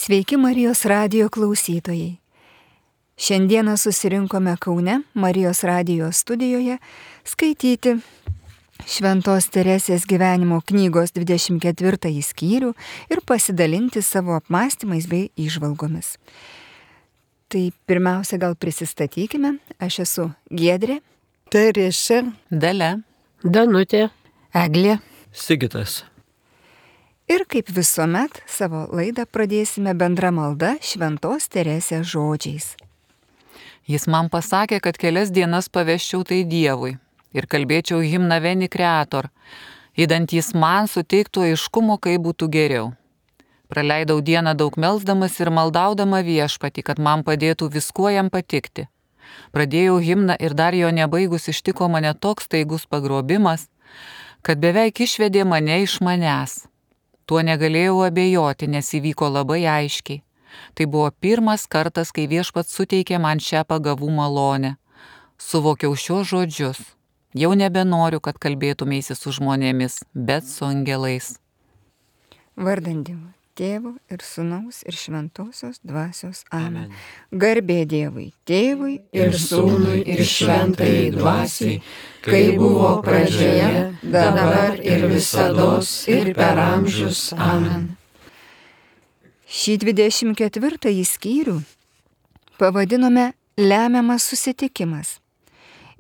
Sveiki Marijos radijo klausytojai. Šiandieną susirinkome Kaune Marijos radijo studijoje skaityti Šventos Teresės gyvenimo knygos 24 skyrių ir pasidalinti savo apmąstymais bei įžvalgomis. Tai pirmiausia, gal prisistatykime. Aš esu Giedrė, Teresė, Dalia, Danutė, Eglė. Sigitas. Ir kaip visuomet savo laidą pradėsime bendra malda Šventos Teresės žodžiais. Jis man pasakė, kad kelias dienas paveščiau tai Dievui ir kalbėčiau himną Veni Creator, įdant jis man suteiktų aiškumo, kaip būtų geriau. Praleidau dieną daug melsdamas ir maldaudama Viešpatį, kad man padėtų viskuo jam patikti. Pradėjau himną ir dar jo nebaigus ištiko mane toks staigus pagrobimas, kad beveik išvedė mane iš manęs. Tuo negalėjau abejoti, nes įvyko labai aiškiai. Tai buvo pirmas kartas, kai Viešpats suteikė man šią pagavų malonę. Suvokiau šios žodžius. Jau nebenoriu, kad kalbėtumėsi su žmonėmis, bet su angelais. Vardant Dievo, Tėvo ir Sūnaus ir Šventosios Dvasios. Amen. Garbė Dievui, Tėvui ir Sūnui ir Šventajai Dvasiai, kai buvo pradžioje, dabar ir visados ir per amžius. Amen. Šį 24 skyrių pavadinome Lemiamas susitikimas.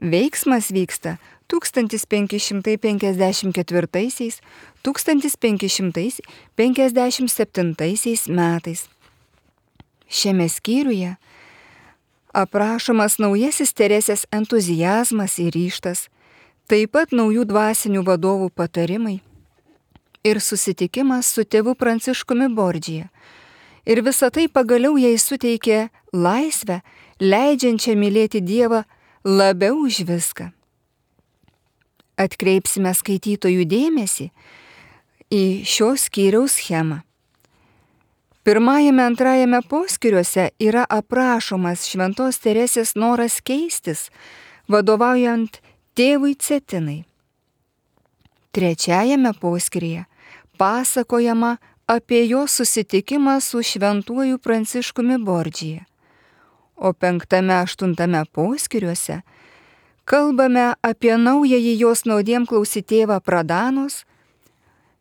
Veiksmas vyksta 1554–1557 metais. Šiame skyriuje aprašomas naujasis Teresės entuziazmas ir ryžtas, taip pat naujų dvasinių vadovų patarimai ir susitikimas su tėvu Pranciškumi Bordžija. Ir visa tai pagaliau jai suteikė laisvę, leidžiančią mylėti Dievą labiau už viską. Atkreipsime skaitytojų dėmesį į šios skyriaus schemą. Pirmajame, antrajame poskyriuose yra aprašomas Šventos Teresės noras keistis, vadovaujant tėvui Cetinai. Trečiajame poskyryje pasakojama apie jo susitikimą su šventuoju Pranciškumi Bordžija. O 5–8 poskyriuose kalbame apie naująjį jos naudiem klausyti tėvą Pradanos,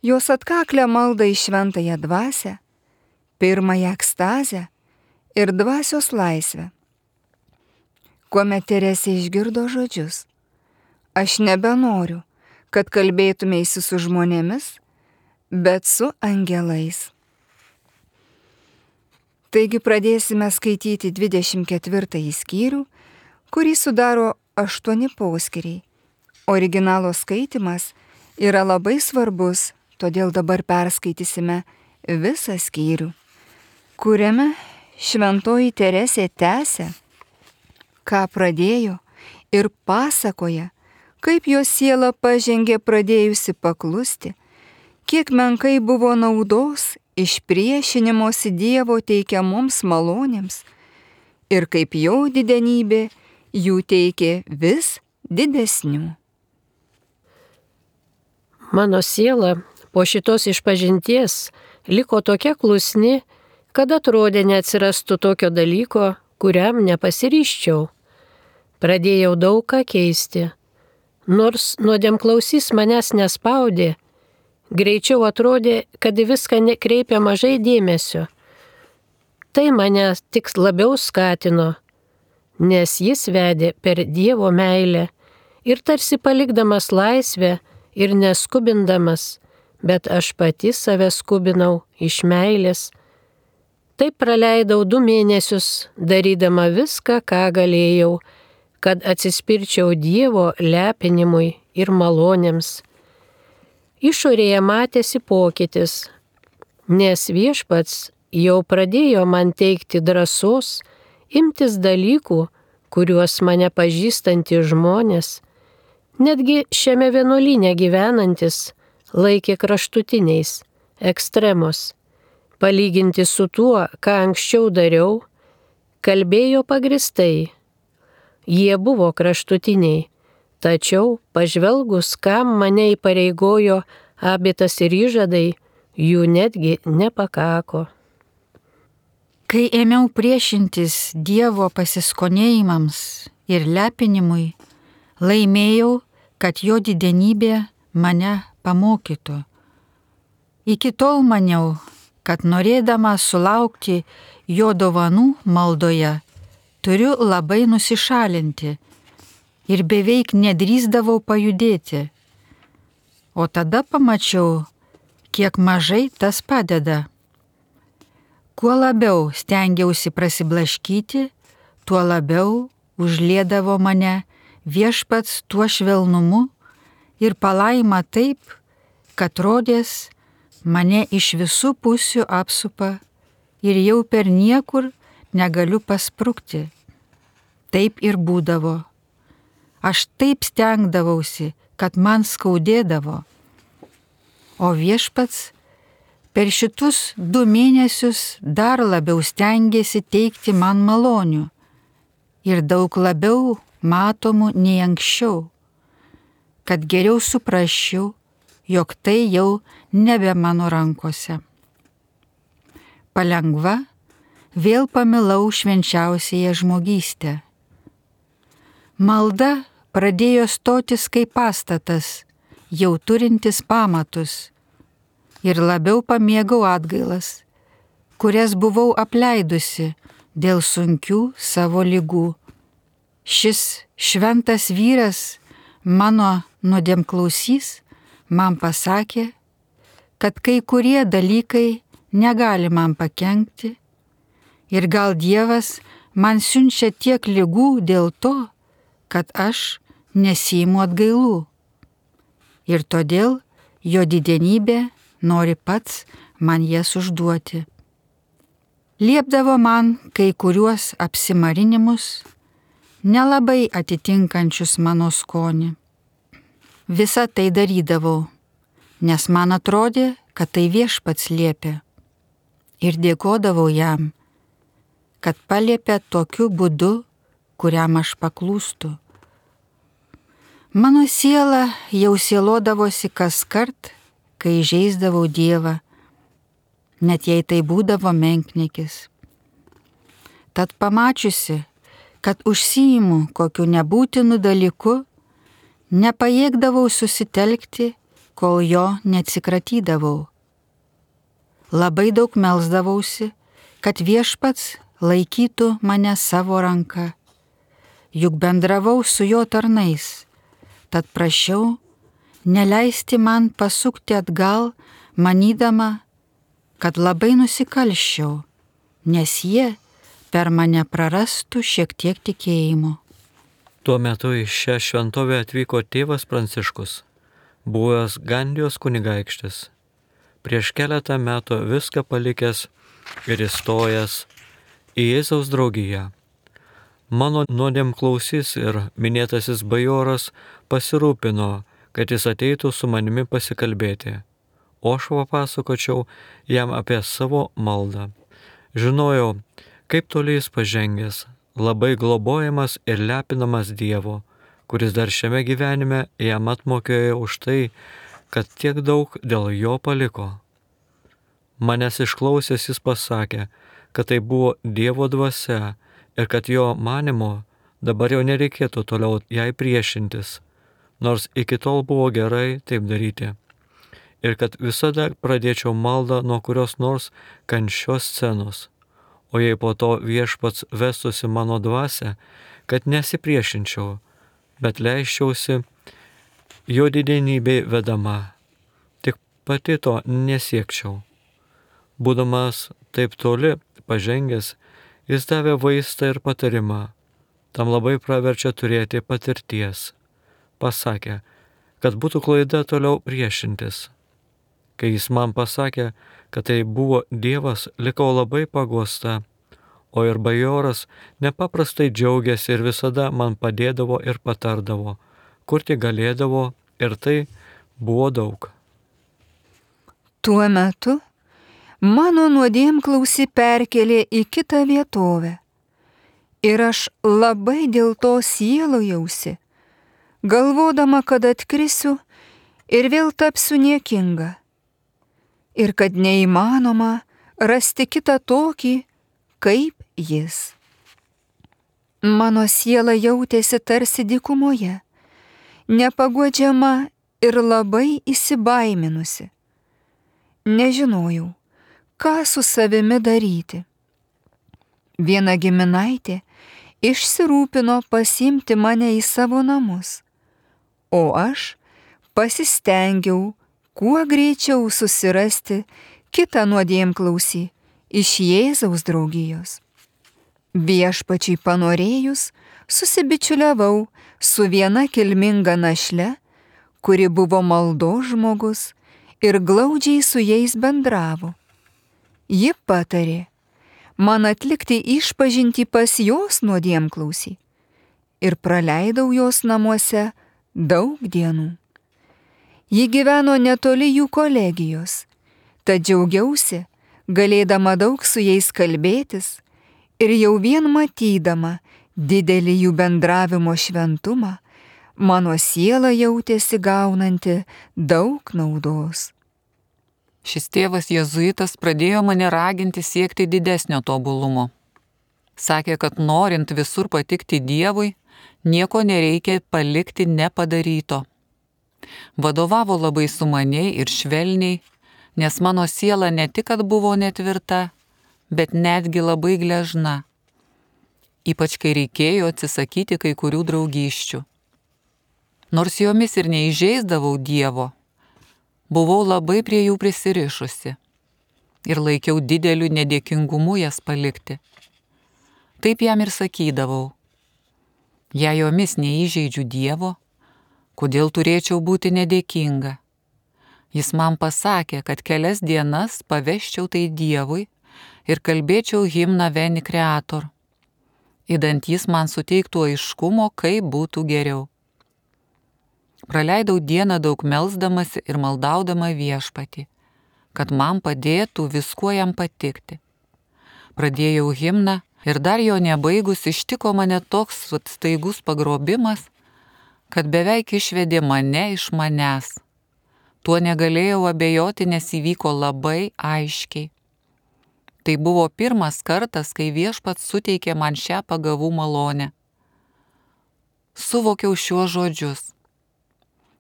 jos atkaklę maldą į šventąją dvasią, pirmąją ekstazę ir dvasios laisvę. Kuomet Teresė išgirdo žodžius: aš nebenoriu, kad kalbėtumėsi su žmonėmis, bet su angelais. Taigi pradėsime skaityti 24 skyrių, kurį sudaro 8 poskyriai. Originalo skaitimas yra labai svarbus, todėl dabar perskaitysime visą skyrių, kuriame Šventoji Teresė tęsia, ką pradėjo, ir pasakoja, kaip jos siela pažengė pradėjusi paklusti, kiek menkai buvo naudos iš priešinimosi Dievo teikiamoms malonėms ir kaip jo didenybė jų teikė vis didesnių. Mano siela po šitos išpažinties liko tokia klusni, kad atrodė neatsirastų tokio dalyko, kuriam nepasiryščiau. Pradėjau daug ką keisti. Nors nuodėmklausys manęs nespaudė, greičiau atrodė, kad į viską nekreipia mažai dėmesio. Tai mane tik labiau skatino, nes jis vedė per Dievo meilę ir tarsi palikdamas laisvę ir neskubindamas, bet aš pati save skubinau iš meilės. Taip praleidau 2 mėnesius, darydama viską, ką galėjau, kad atsispirčiau Dievo lepinimui ir malonėms. Išorėje matėsi pokytis, nes Viešpats jau pradėjo man teikti drąsos imtis dalykų, kuriuos mane pažįstantys žmonės, netgi šiame vienuolyne gyvenantis, laikė kraštutiniais, ekstremos. Palyginti su tuo, ką anksčiau dariau, kalbėjo pagristai. Jie buvo kraštutiniai, tačiau pažvelgus, kam mane įpareigojo abitas ir įžadai, jų netgi nepakako. Kai ėmiau priešintis Dievo pasiskonėjimams ir lepinimui, laimėjau, kad jo didenybė mane pamokytų. Iki tol maniau, kad norėdama sulaukti jo dovanų maldoje, turiu labai nusišalinti ir beveik nedrįsdavau pajudėti. O tada pamačiau, kiek mažai tas padeda. Kuo labiau stengiausi prasiblaškyti, tuo labiau užliedavo mane Viešpats tuo švelnumu ir palaima taip, kad rodės mane iš visų pusių apsupa ir jau per niekur negaliu pasprukti. Taip ir būdavo. Aš taip stengdavausi, kad man skaudėdavo. O Viešpats per šitus 2 mėnesius dar labiau stengėsi teikti man malonių ir daug labiau matomų nei anksčiau, kad geriau suprasčiau, jog tai jau nebe mano rankose. Palengva vėl pamilau švenčiausiąją žmogystę. Malda pradėjo stotis kaip pastatas, jau turintis pamatus, ir labiau pamėgau atgailas, kurias buvau apleidusi dėl sunkių savo ligų. Šis šventas vyras, mano nuodėmklausys, man pasakė, kad kai kurie dalykai negali man pakenkti ir gal Dievas man siunčia tiek ligų dėl to, kad aš nesiimu atgailų. Ir todėl jo didenybė nori pats man jas užduoti. Liepdavo man kai kuriuos apsimarinimus, nelabai atitinkančius mano skonį. Visą tai darydavau, nes man atrodė, kad tai Viešpats liepė. Ir dėkodavau jam, kad paliepė tokiu būdu, kuriam aš paklūstu. Mano siela jau sielodavosi kaskart, kai įžeisdavau Dievą, net jei tai būdavo menkniekis. Tad pamačiusi, kad užsiimu kokiu nebūtinu dalyku, nepajėgdavau susitelkti, kol jo neatsikratydavau. Labai daug melsdavausi, kad Viešpats laikytų mane savo ranka, juk bendravau su jo tarnais, tad prašiau neleisti man pasukti atgal, manydama, kad labai nusikalsčiau, nes jie per mane prarastų šiek tiek tikėjimo. Tuo metu į šią šventovę atvyko tėvas Pranciškus, buvęs Gandijos kunigaikštis. Prieš keletą metų viską palikęs ir įstojęs į Jėzaus draugiją. Mano nuodėmklausys ir minėtasis bajoras pasirūpino, kad jis ateitų su manimi pasikalbėti, o aš papasakočiau jam apie savo maldą. Žinojau, kaip toli jis pažengęs, labai globojamas ir lepinamas Dievo, kuris dar šiame gyvenime jam atmokėjo už tai, kad tiek daug dėl jo paliko. Manęs išklausęs jis pasakė, kad tai buvo Dievo dvasia ir kad jo manimo dabar jau nereikėtų toliau jai priešintis, nors iki tol buvo gerai taip daryti. Ir kad visada pradėčiau maldą nuo kurios nors kančios scenos, o jei po to Viešpats vestųsi mano dvasią, kad nesipriešinčiau, bet leisčiausi jo didenybei vedama, tik pati to nesiekčiau. Būdamas taip toli pažengęs, jis davė vaistą ir patarimą, tam labai praverčia turėti patirties. Pasakė, kad būtų klaida toliau priešintis. Kai jis man pasakė, kad tai buvo Dievas, likau labai paguosta, o ir bajoras nepaprastai džiaugiasi ir visada man padėdavo ir patardavo, kur tik galėdavo, ir tai buvo daug. Tuo metu mano nuodėmklausį perkelė į kitą vietovę ir aš labai dėl to sielojausi, galvodama, kad atkrisiu ir vėl tapsiu niekinga ir kad neįmanoma rasti kitą tokį, kaip jis. Mano siela jautėsi tarsi dykumoje, nepaguodžiama ir labai įsibaiminusi. Nežinojau, ką su savimi daryti. Viena giminaitė išsirūpino pasiimti mane į savo namus, o aš pasistengiau kuo greičiau susirasti kitą nuodėmklausį iš Jėzaus draugijos. Viešpačiui panorėjus, susibičiuliavau su viena kilminga našle, kuri buvo maldos žmogus ir glaudžiai su jais bendravo. Ji patarė man atlikti išpažintį pas jos nuodėmklausį ir praleidau jos namuose daug dienų. Ji gyveno netoli jų kolegijos, tad džiaugiausi, galėdama daug su jais kalbėtis ir jau vien matydama didelį jų bendravimo šventumą, mano siela jautėsi gaunanti daug naudos. Šis tėvas jėzuitas pradėjo mane raginti siekti didesnio tobulumo. Sakė, kad norint visur patikti Dievui, nieko nereikia palikti nepadaryto. Vadovavo labai sumaniai ir švelniai, nes mano siela ne tik, kad buvo netvirta, bet netgi labai gležna. Ypač kai reikėjo atsisakyti kai kurių draugysčių. Nors jomis ir neįžeisdavau Dievo, buvau labai prie jų prisirišusi ir laikiau dideliu nedėkingumu jas palikti. Taip jam ir sakydavau, jei jomis neįžeidžiu Dievo, kodėl turėčiau būti nedėkinga? Jis man pasakė, kad kelias dienas paveščiau tai Dievui ir kalbėčiau himną Veni Creator, idant jis man suteiktų aiškumo, kaip būtų geriau. Praleidau dieną daug melsdamasi ir maldaudama Viešpatį, kad man padėtų viskuo jam patikti. Pradėjau himną ir dar jo nebaigus ištiko mane toks staigus pagrobimas, kad beveik išvedė mane iš manęs. Tuo negalėjau abejoti, nes įvyko labai aiškiai. Tai buvo pirmas kartas, kai Viešpats suteikė man šią pagavų malonę. Suvokiau šiuos žodžius.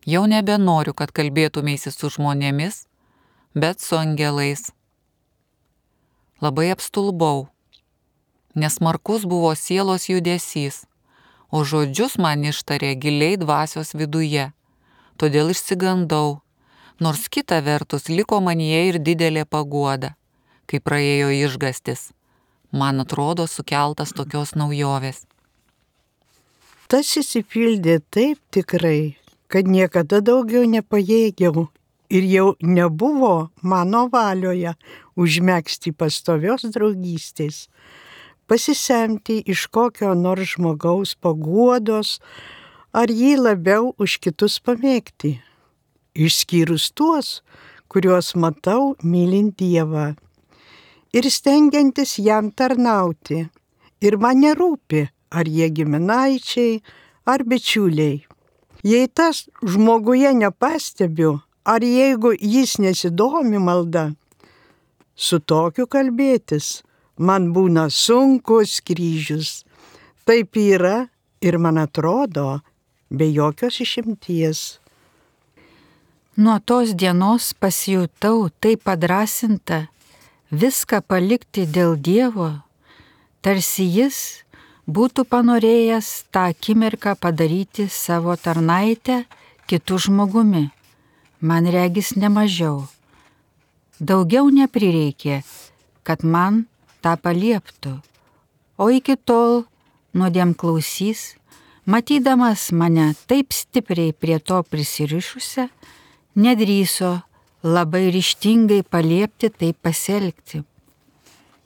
Jau nebenoriu, kad kalbėtumėsi su žmonėmis, bet su angelais. Labai apstulbau, nes smarkus buvo sielos judesys, o žodžius man ištarė giliai dvasios viduje, todėl išsigandau, nors kita vertus liko manyje ir didelė paguoda, kai praėjo išgastis, man atrodo sukeltas tokios naujovės. Tas išsipildė taip tikrai, kad niekada daugiau nepajėgiau ir jau nebuvo mano valioje užmegzti pastovios draugystės, pasisemti iš kokio nors žmogaus paguodos ar jį labiau už kitus pamėgti, išskyrus tuos, kuriuos matau mylint Dievą ir stengiantis jam tarnauti. Ir man nerūpi, ar jie giminaičiai, ar bičiuliai. Jei tas žmoguje nepastebiu, ar jeigu jis nesidomi malda, su tokiu kalbėtis man būna sunkus kryžius. Taip yra ir man atrodo, be jokios išimties. Nuo tos dienos pasijutau taip padrasinta viską palikti dėl Dievo, tarsi jis būtų panorėjęs tą akimirką padaryti savo tarnaitę kitų žmogumi. Man regis nemažiau. Daugiau neprireikė, kad man tą palieptų, o iki tol nuodėmklausys, matydamas mane taip stipriai prie to prisirišusią, nedrįso labai ryžtingai paliepti taip pasielgti.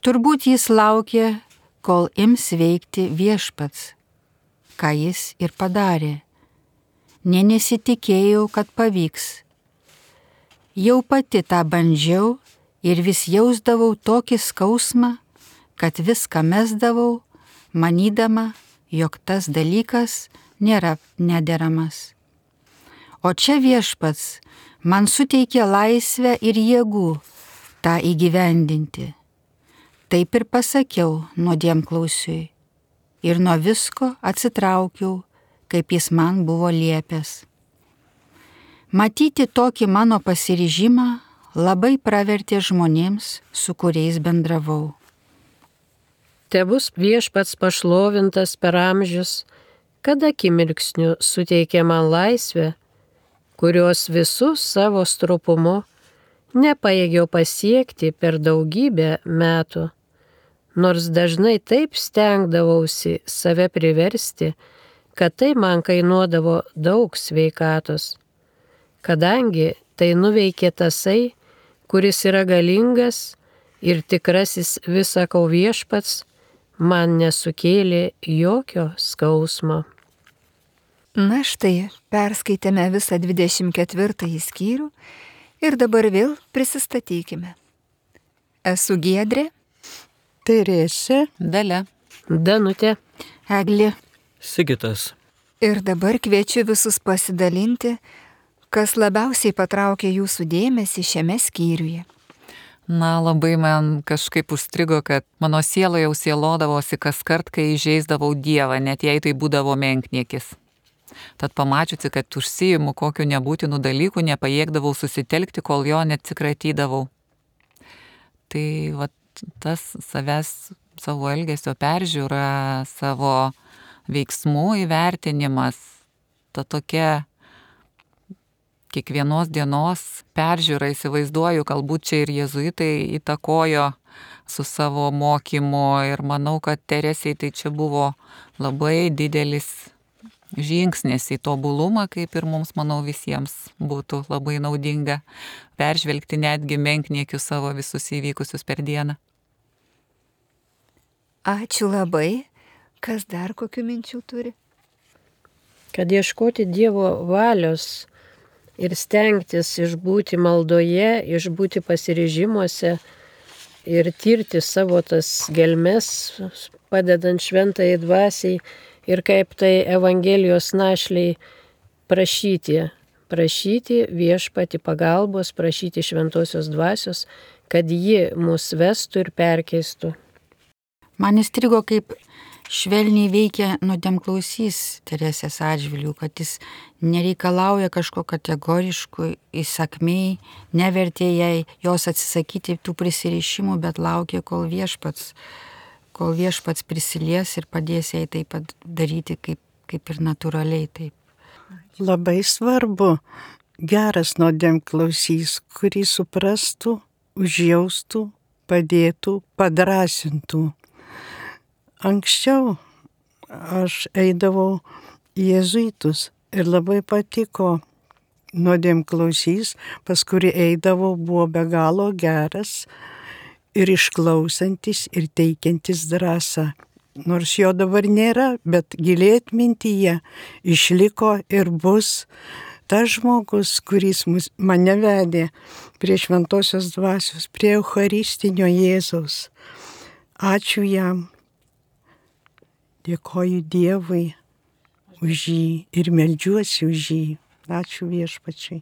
Turbūt jis laukė, kol ims veikti Viešpats, ką jis ir padarė. Nė nesitikėjau, kad pavyks. Jau pati tą bandžiau ir vis jausdavau tokį skausmą, kad viską mesdavau, manydama, jog tas dalykas nėra nederamas. O čia Viešpats man suteikė laisvę ir jėgų tą įgyvendinti. Taip ir pasakiau nuodėmklausiui ir nuo visko atsitraukiau, kaip jis man buvo liepęs. Matyti tokį mano pasiryžimą labai pravertė žmonėms, su kuriais bendravau. Tebus viešpats pašlovintas per amžius, kad akimirksniu suteikė man laisvę, kurios visus savo stropumu nepajėgiau pasiekti per daugybę metų, nors dažnai taip stengdavausi save priversti, kad tai man kainuodavo daug sveikatos, kadangi tai nuveikė tasai, kuris yra galingas ir tikrasis visako viešpats, man nesukėlė jokio skausmo. Na štai, perskaitėme visą 24 skyrių ir dabar vėl prisistatykime. Esu Giedrė, Teresė, Dalia. Danutė. Eglė. Sigitas. ir dabar kviečiu visus pasidalinti, kas labiausiai patraukė jūsų dėmesį šiame skyriuje. Na, labai man kažkaip užstrigo, kad mano siela jau sielodavosi kas kart, kai įžeisdavau Dievą, net jei tai būdavo menkniekis. Tad pamačiusi, kad užsiimu kokiu nebūtinu dalyku, nepajėgdavau susitelkti, kol jo neatsikratydavau. Tai vat, tas savęs, savo elgesio peržiūra, savo veiksmų įvertinimas, ta tokia kiekvienos dienos peržiūra, įsivaizduoju, galbūt čia ir jėzuitai įtakojo su savo mokymu ir manau, kad Teresei tai čia buvo labai didelis žingsnis į tobulumą, kaip ir mums, manau, visiems būtų labai naudinga peržvelgti netgi menkniekius savo visus įvykusius per dieną. Ačiū labai. Kas dar kokių minčių turi? Kad ieškoti Dievo valios ir stengtis išbūti maldoje, išbūti pasiryžimuose ir tirti savo tas gelmes, padedant šventai dvasiai ir kaip tai Evangelijos našliai prašyti viešpatį pagalbos, prašyti šventosios dvasios, kad ji mus vestų ir perkeistų. Man įstrigo, kaip švelniai veikia nuodėmklausys Teresės atžvilgiu, kad jis nereikalauja kažko kategoriškų, įsakmiai, nevertė jai jos atsisakyti tų prisirišimų, bet laukia, kol viešpats prisilies ir padės jai taip pat daryti kaip ir natūraliai. Taip. labai svarbu geras nuodėmklausys, kurį suprastų, užjaustų, padėtų, padrasintų. Anksčiau aš eidavau į jėzuitus ir labai patiko nuodėmklausys, pas kurį eidavau, buvo be galo geras ir išklausantis ir teikiantis drąsą. Nors jo dabar nėra, bet giliai atmintyje išliko ir bus tas žmogus, kuris mane vedė prie šventosios dvasios, prie Eucharistinio Jėzaus. Ačiū jam. Dėkoju Dievui už jį ir meldžiuosi už jį. Ačiū viešpačiai.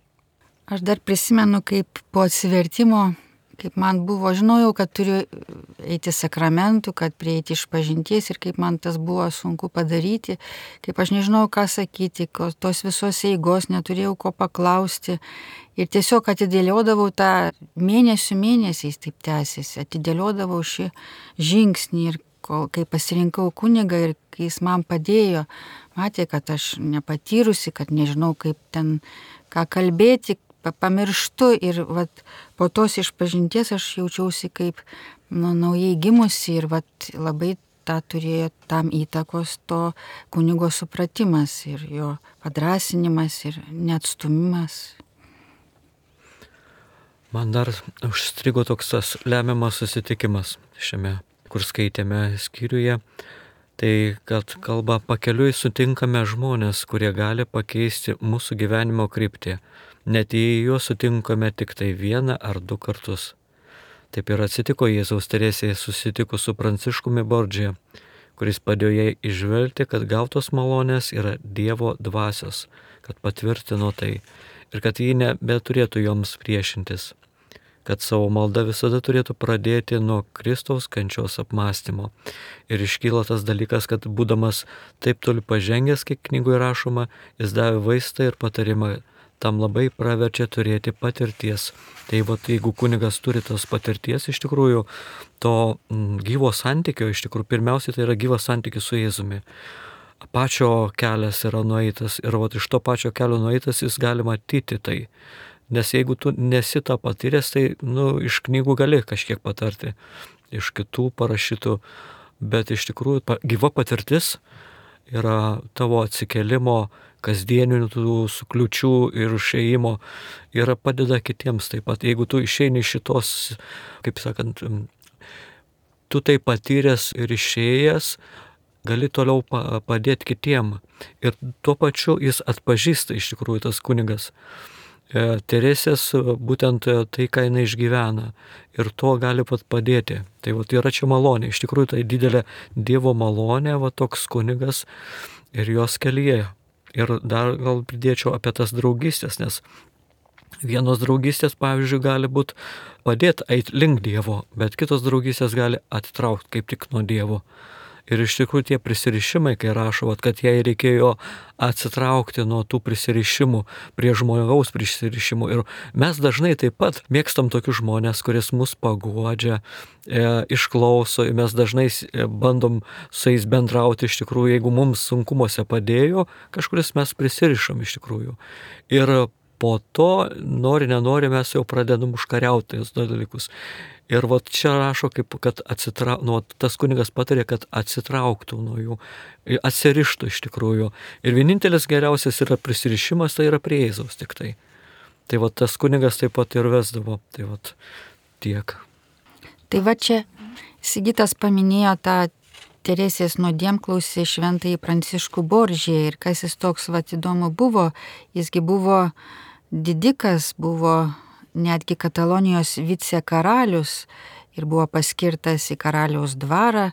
Aš dar prisimenu, kaip po atsivertimo, kaip man buvo, žinojau, kad turiu eiti sakramentų, kad prieiti išpažinties ir kaip man tas buvo sunku padaryti, kaip aš nežinojau, ką sakyti, tos visos eigos neturėjau ko paklausti ir tiesiog atidėliodavau tą mėnesiais taip tęsiasi, atidėliodavau šį žingsnį ir kai pasirinkau kunigą ir kai jis man padėjo, matė, kad aš nepatyrusi, kad nežinau, kaip ten ką kalbėti, pamirštu ir vat, po tos išpažinties aš jaučiausi kaip naujai gimusi ir vat, labai tą turėjo tam įtakos to kunigo supratimas ir jo padrasinimas ir neatstumimas. Man dar užstrigo toks tas lemiamas susitikimas šiame, kur skaitėme skyriuje. Tai kad kalba pakeliui sutinkame žmonės, kurie gali pakeisti mūsų gyvenimo kryptį. Net jei juos sutinkame tik tai vieną ar du kartus. Taip ir atsitiko Jėzaus Teresėje susitikus su Pranciškumi Bordžija, kuris padėjo jai išvelgti, kad gautos malonės yra Dievo dvasios, kad patvirtino tai ir kad ji nebeturėtų joms priešintis. kad savo maldą visada turėtų pradėti nuo Kristaus kančios apmąstymo. Ir iškyla tas dalykas, kad būdamas taip toli pažengęs, kaip knygoje rašoma, jis davė vaistą ir patarimą. Tam labai praverčia turėti patirties. Tai jeigu kunigas turi tos patirties, iš tikrųjų, to gyvo santykio, iš tikrųjų, pirmiausiai tai yra gyvas santykis su Jėzumi. Pačio kelias yra nueitas ir iš to pačio kelio nueitas jis gali matyti tai. Nes jeigu tu nesi tą patyręs, tai iš knygų gali kažkiek patarti, iš kitų parašytų, bet iš tikrųjų gyva patirtis yra tavo atsikelimo, kasdieninių tų sukliučių ir išėjimo ir padeda kitiems taip pat. Jeigu tu išeini šitos, kaip sakant, tu tai patyręs ir išėjęs, gali toliau padėti kitiem. Ir tuo pačiu jis atpažįsta iš tikrųjų tas kunigas Teresės būtent tai, ką jinai išgyvena. Ir to gali pat padėti. Tai yra čia malonė. Iš tikrųjų tai didelė Dievo malonė, toks kunigas ir jos kelyje. Ir dar gal pridėčiau apie tas draugystės, nes vienos draugystės, pavyzdžiui, gali būti padėti eiti link Dievo, bet kitos draugystės gali atitraukti kaip tik nuo Dievo. Ir iš tikrųjų tie prisirišimai, kai rašo, kad jai reikėjo atsitraukti nuo tų prisirišimų prie žmogaus prisirišimų. Ir mes dažnai taip pat mėgstam tokius žmonės, kuris mus paguodžia, išklauso, mes dažnai bandom su jais bendrauti iš tikrųjų, jeigu mums sunkumuose padėjo, kažkuris mes prisirišam iš tikrųjų. Ir po to, nenori, mes jau pradedam užkariauti tos dalykus. Ir čia rašo, kad tas kunigas patarė, kad atsitrauktų nuo jų, atsirištų iš tikrųjų. Ir vienintelis geriausias yra prisirišimas, tai yra prie Jėzaus tik tai. Tai tas kunigas taip pat ir vesdavo. Tai tiek. Tai čia Sigitas paminėjo tą Teresės nuodėmklausį šventąjį Pranciškų Boržį. Ir kas jis toks įdomu buvo, jisgi buvo didikas, buvo netgi Katalonijos vicekaralius ir buvo paskirtas į karaliaus dvarą,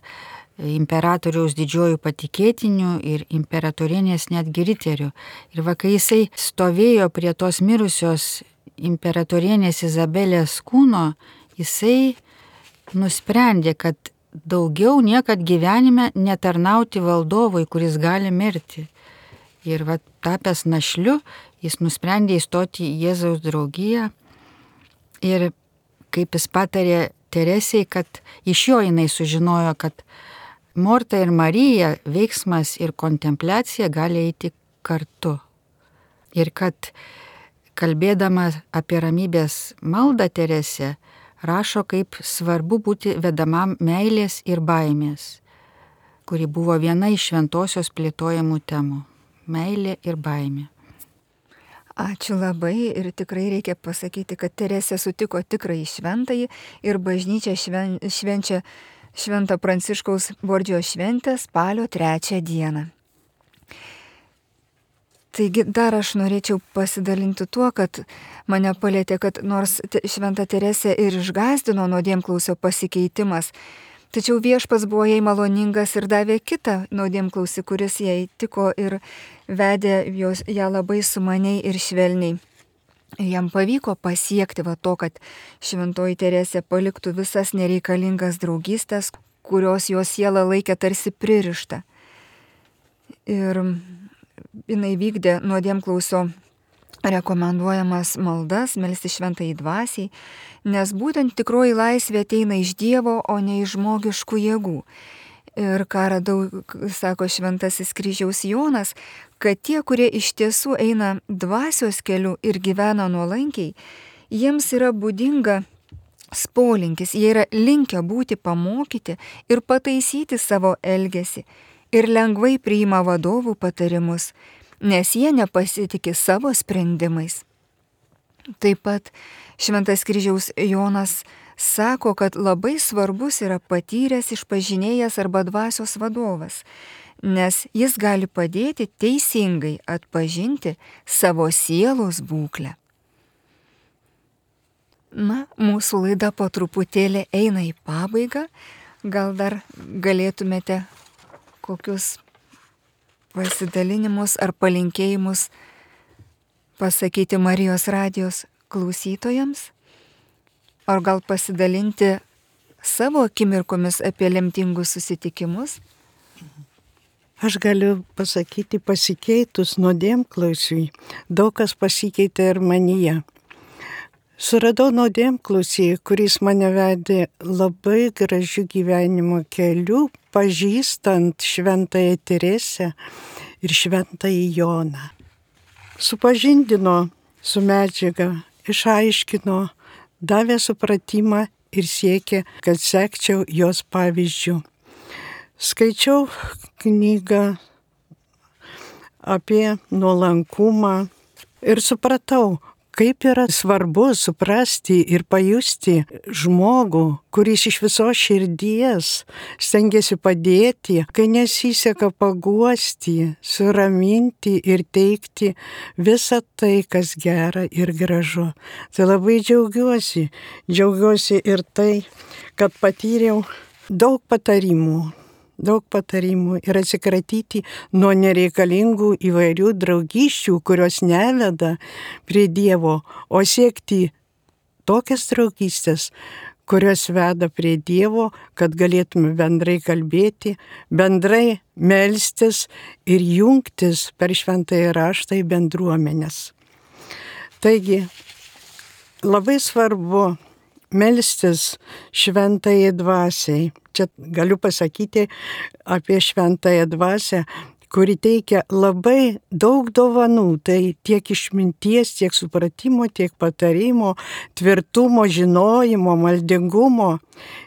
imperatoriaus didžiojų patikėtinių ir imperatorienės netgi riterių. Ir kai jisai stovėjo prie tos mirusios imperatorienės Izabelės kūno, jisai nusprendė, kad daugiau niekad gyvenime netarnauti valdovui, kuris gali mirti. Ir tapęs našliu, jis nusprendė įstoti į Jėzaus draugiją. Ir kaip jis patarė Teresei, kad iš jo jinai sužinojo, kad Morta ir Marija, veiksmas ir kontempliacija gali eiti kartu. Ir kad kalbėdama apie ramybės maldą Teresė, rašo, kaip svarbu būti vedamam meilės ir baimės, kuri buvo viena iš šventosios plėtojamų temų. Meilė ir baimė. Ačiū labai ir tikrai reikia pasakyti, kad Teresė sutiko tikrąjį šventąjį ir bažnyčia švenčia Švento Pranciškaus Bordžio šventę spalio 3 dieną. Taigi dar aš norėčiau pasidalinti tuo, kad mane palėtė, kad nors Šventa Teresė ir išgąsdino nuodėmklausio pasikeitimas, tačiau Viešpats buvo jai maloningas ir davė kitą nuodėmklausį, kuris jai tiko ir vedė ją labai sumaniai ir švelniai. Jam pavyko pasiekti to, kad Šventoji Teresė paliktų visas nereikalingas draugystės, kurios jos sielą laikė tarsi pririštą. Ir jinai vykdė nuodėmklausio rekomenduojamas maldas, melsti šventajai dvasiai, nes būtent tikroji laisvė ateina iš Dievo, o ne iš žmogiškų jėgų. Ir ką radau, sako Šventasis Kryžiaus Jonas, kad tie, kurie iš tiesų eina dvasios keliu ir gyvena nuolankiai, jiems yra būdinga polinkis, jie yra linkę būti pamokyti ir pataisyti savo elgesį ir lengvai priima vadovų patarimus, nes jie nepasitikė savo sprendimais. Taip pat Šventas Kryžiaus Jonas sako, kad labai svarbus yra patyręs, išpažinėjas arba dvasios vadovas, nes jis gali padėti teisingai atpažinti savo sielos būklę. Mūsų laida po truputėlį eina į pabaigą. Gal dar galėtumėte kokius pasidalinimus ar palinkėjimus pasakyti Marijos radijos klausytojams? ar gal pasidalinti savo akimirkomis apie lemtingus susitikimus? Aš galiu pasakyti, pasikeitus nuodėmklausiui, daug kas pasikeitė ir manyje. Suradau nuodėmklausį, kuris mane vedė labai gražių gyvenimo kelių, pažįstant Šventąją Teresę ir Šventąjį Joną. Supažindino su medžiaga, išaiškino, davė supratimą ir siekė, kad sekčiau jos pavyzdžių. Skaičiau knygą apie nuolankumą ir supratau, kaip yra svarbu suprasti ir pajusti žmogų, kuris iš visos širdies stengiasi padėti, kai nesiseka paguosti, suraminti ir teikti visą tai, kas gera ir gražu. Tai labai džiaugiuosi ir tai, kad patyriau daug patarimų ir atsikratyti nuo nereikalingų įvairių draugysčių, kurios neveda prie Dievo, o siekti tokias draugystės, kurios veda prie Dievo, kad galėtume bendrai kalbėti, bendrai melstis ir jungtis per Šventąjį raštą į bendruomenės. Taigi, labai svarbu melstis Šventajai Dvasiai. Čia galiu pasakyti apie Šventąją Dvasią, kuri teikia labai daug dovanų. Tai tiek išminties, tiek supratimo, tiek patarimo, tvirtumo, žinojimo, maldingumo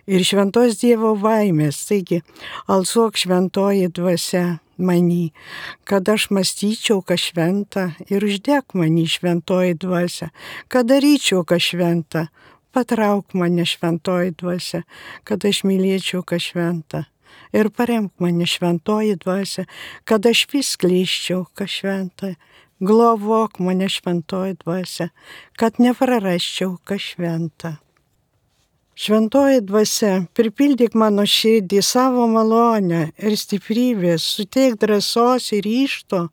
ir šventos Dievo baimės. Taigi, alsuok Šventoji Dvasia many, kad aš mąstyčiau, kas šventa, ir uždek many Šventoji Dvasia, kad daryčiau, kas šventa. Patrauk mane Šventoji Dvasia, kad aš mylėčiau, kas šventa. Ir paremk mane Šventoji Dvasia, kad aš vis skleisčiau, kas šventa. Globok mane Šventoji Dvasia, kad neprarasčiau, kas šventa. Šventoji Dvasia, pripildyk mano širdį savo malonę ir stiprybės, suteik drąsos ir ryžto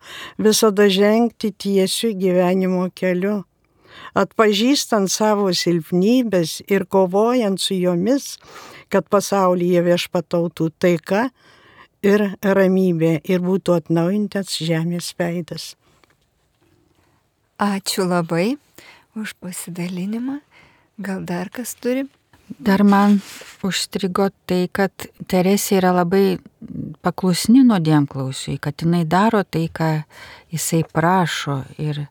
visada žengti tiesiu gyvenimo keliu. Atpažįstant savo silpnybės ir kovojant su jomis, kad pasaulyje viešpatautų taika ir ramybė ir būtų atnaujintas žemės veidas. Ačiū labai už pasidalinimą. Gal dar kas turi? Dar man užstrigo tai, kad Teresė yra labai paklusni nuodėmklausiui, kad jinai daro tai, ką jisai prašo, ir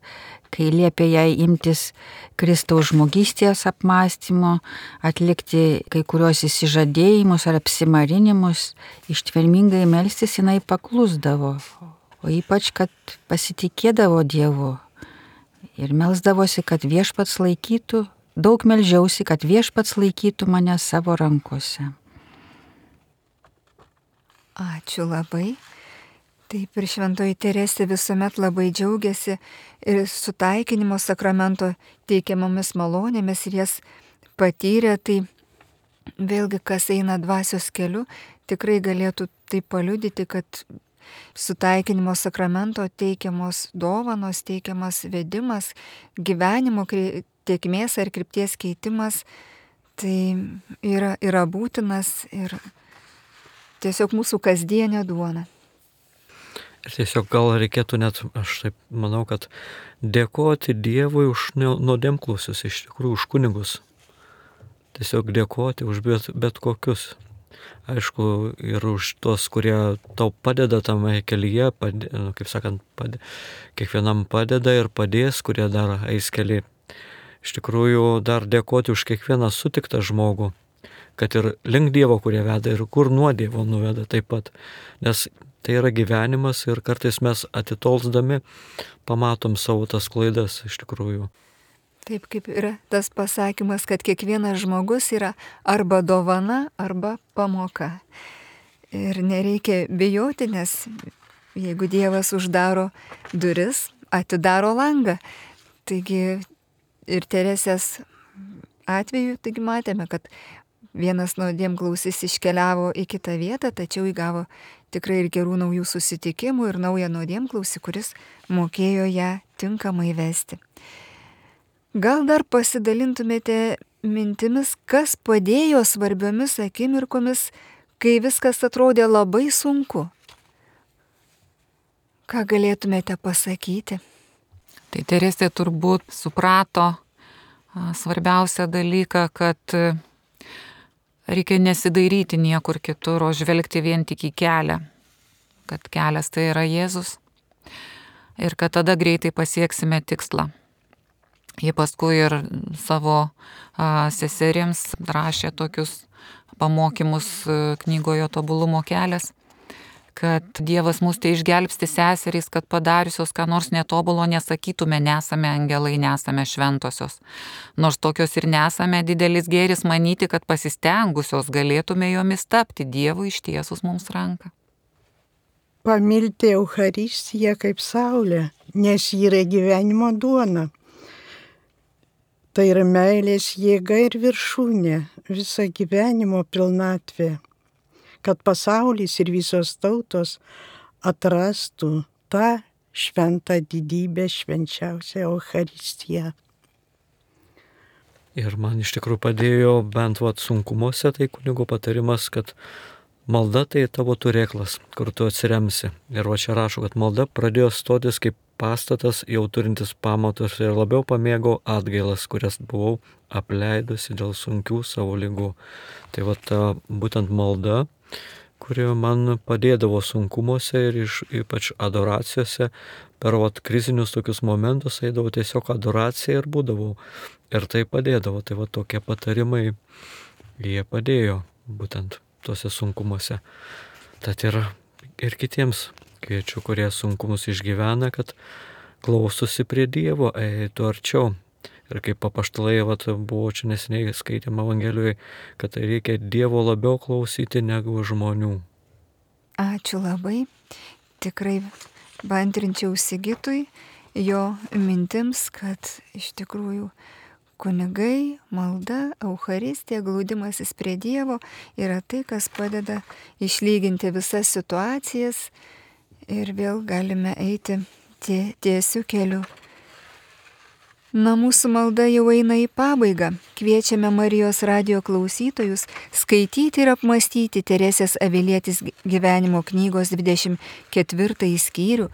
kai liepia jai imtis Kristaus žmogystės apmąstymo, atlikti kai kuriuos įsižadėjimus ar apsimarinimus, ištvermingai melstis jinai paklusdavo, o ypač, kad pasitikėdavo Dievu ir melsdavosi, kad viešpats laikytų, daug meldžiausi, kad viešpats laikytų mane savo rankose. Ačiū labai. Taip, ir Šventoji Teresė visuomet labai džiaugiasi ir sutaikinimo sakramento teikiamomis malonėmis ir jas patyrė. Tai vėlgi, kas eina dvasios keliu, tikrai galėtų tai paliudyti, kad sutaikinimo sakramento teikiamos dovanos, teikiamas vedimas, gyvenimo tėkmės ar krypties keitimas, tai yra būtinas ir tiesiog mūsų kasdienė duona. Ir tiesiog gal reikėtų net, aš taip manau, kad dėkoti Dievui už nuodėmklausius, iš tikrųjų už kunigus. Tiesiog dėkoti už bet kokius. Aišku, ir už tos, kurie tau padeda tame kelyje, kaip sakant, kiekvienam padeda ir padės, kurie dar eis kelią. Iš tikrųjų, dar dėkoti už kiekvieną sutiktą žmogų, kad ir link Dievo, kurie veda, ir kur nuo Dievo nuveda taip pat. Nes tai yra gyvenimas ir kartais mes atitolsdami pamatom savo tas klaidas iš tikrųjų. Taip kaip yra tas pasakymas, kad kiekvienas žmogus yra arba dovana, arba pamoka. Ir nereikia bijoti, nes jeigu Dievas uždaro duris, atidaro langą. Taigi ir Teresės atveju, taigi matėme, kad vienas nuodėmklausis iškeliavo į kitą vietą, tačiau įgavo tikrai ir gerų naujų susitikimų ir naują nuodėmklausį, kuris mokėjo ją tinkamai vesti. Gal dar pasidalintumėte mintimis, kas padėjo svarbiomis akimirkomis, kai viskas atrodė labai sunku. Ką galėtumėte pasakyti? Tai Teresė turbūt suprato svarbiausią dalyką, kad reikia nesidairyti niekur kitur, o žvelgti vien tik į kelią. Kad kelias tai yra Jėzus ir kad tada greitai pasieksime tikslą. Jie paskui ir savo seserims rašė tokius pamokymus knygoje Tobulumo kelias, kad Dievas mus tai išgelbsti seserys, kad padariusios ką nors netobulo nesakytume, nesame angelai, nesame šventosios. Nors tokios ir nesame, didelis gėris manyti, kad pasistengusios galėtume jomis tapti, Dievui ištiesus mums ranką. Pamilti Eucharistiją kaip saulę, nes ji yra gyvenimo duona. Tai yra meilės jėga ir viršūnė, visa gyvenimo pilnatvė, kad pasaulis ir visos tautos atrastų tą šventą didybę, švenčiausią Eucharistiją. Ir man iš tikrųjų padėjo bent sunkumuose, tai kunigo patarimas, kad malda tai tavo turėklas, kur tu atsiremsi. Ir čia rašo, kad malda pradėjo stotis kaip pastatas jau turintis pamatus ir labiau pamėgau atgailas, kurias buvau apleidusi dėl sunkių savo ligų. Tai būtent malda, kuri man padėdavo sunkumuose ir ypač adoracijose, per krizinius tokius momentus eidavau tiesiog adoraciją ir būdavau. Ir tai padėdavo, tai tokie patarimai, jie padėjo būtent tuose sunkumuose. Tad ir kitiems kviečiu, kurie sunkumus išgyvena, kad klausosi prie Dievo, eitų arčiau. Ir kaip apaštalai, buvo čia neseniai skaitėm Evangelijoje, kad reikia Dievo labiau klausyti negu žmonių. Ačiū labai. Tikrai bantrinčiau Sigitui jo mintims, kad iš tikrųjų kunigai, malda, Eucharistija, glaudimasis prie Dievo yra tai, kas padeda išlyginti visas situacijas ir vėl galime eiti tiesiu keliu. Na, mūsų malda jau eina į pabaigą. Kviečiame Marijos radijo klausytojus skaityti ir apmąstyti Teresės Avilietės gyvenimo knygos 24 skyrių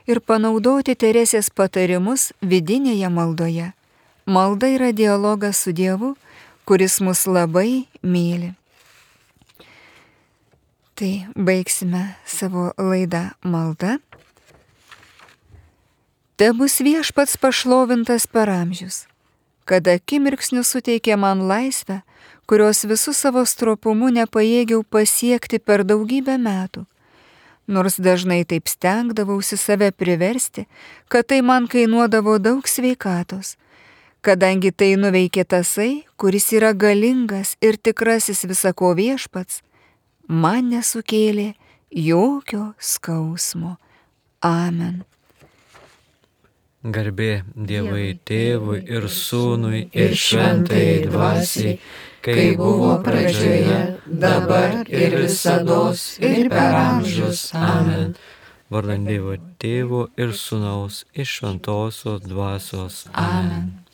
ir panaudoti Teresės patarimus vidinėje maldoje. Malda yra dialogas su Dievu, kuris mus labai myli. Tai baigsime savo laidą malda. Tebus Viešpats pašlovintas per amžius, kad akimirksniu suteikė man laisvę, kurios visų savo stropumu nepajėgiau pasiekti per daugybę metų. Nors dažnai taip stengdavausi save priversti, kad tai man kainuodavo daug sveikatos, kadangi tai nuveikė tasai, kuris yra galingas ir tikrasis visako Viešpats, man nesukėlė jokio skausmo. Amen. Garbė Dievui Tėvui ir Sūnui ir Šventajai Dvasiai, kai buvo pradžioje, dabar ir visados ir per amžius. Amen. Vardan Dievo Tėvo ir Sūnaus ir Šventosios Dvasios. Amen.